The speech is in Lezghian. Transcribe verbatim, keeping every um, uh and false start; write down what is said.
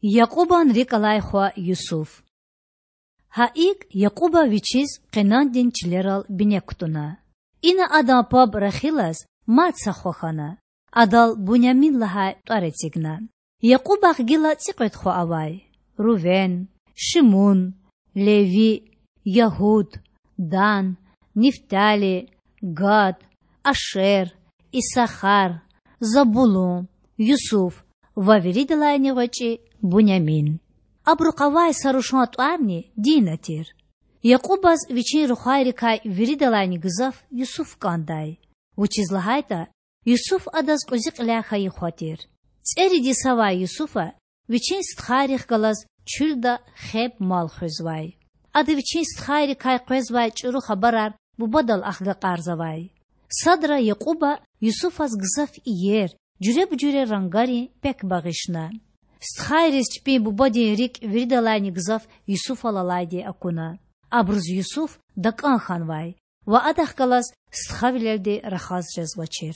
Якьубан рикӀ алай хва Юсуф. Гьа икӀ, Якьуба вичиз Къенандин чилерал бине кутуна. Ина адан паб Рахилаз мад са хва хьана. Адал Бунямин лагьай тӀвар эцигна. Якьубахъ гила цӀикьвед хва авай: Рувен, Шимун, Леви, Ягьуд, Дан, Нифтали, Гад, Ашер, Исахар, Забулун, Юсуф ва виридалайни гъвечӀи Бунямин. Абурухъ авай са рушан тӀварни Дина тир. Якьубаз вичин рухвайрикай виридалайни гзаф Юсуф кӀандай, вучиз лагьайтӀа Юсуф адаз кьуьзуь кьиляй хьайи хва тир. ЦӀерид йисавай Юсуфа вичин стхайрихъ галаз чуьлда хеб-мал хуьзвай. Ада вичин стхайрикай къвезвай чӀуру хабарар бубадал ахгакьарзавай. Садра Якьуба Юсуфаз гзаф иер, жуьреба-жуьре рангарин пек багъишна. Стхайриз чпин бубадин рикӀ виридалайни гзаф Юсуфал алайди акуна. Абуруз Юсуф такӀан хьанвай ва адахъ галаз стхавилелди рахаз жезвачир.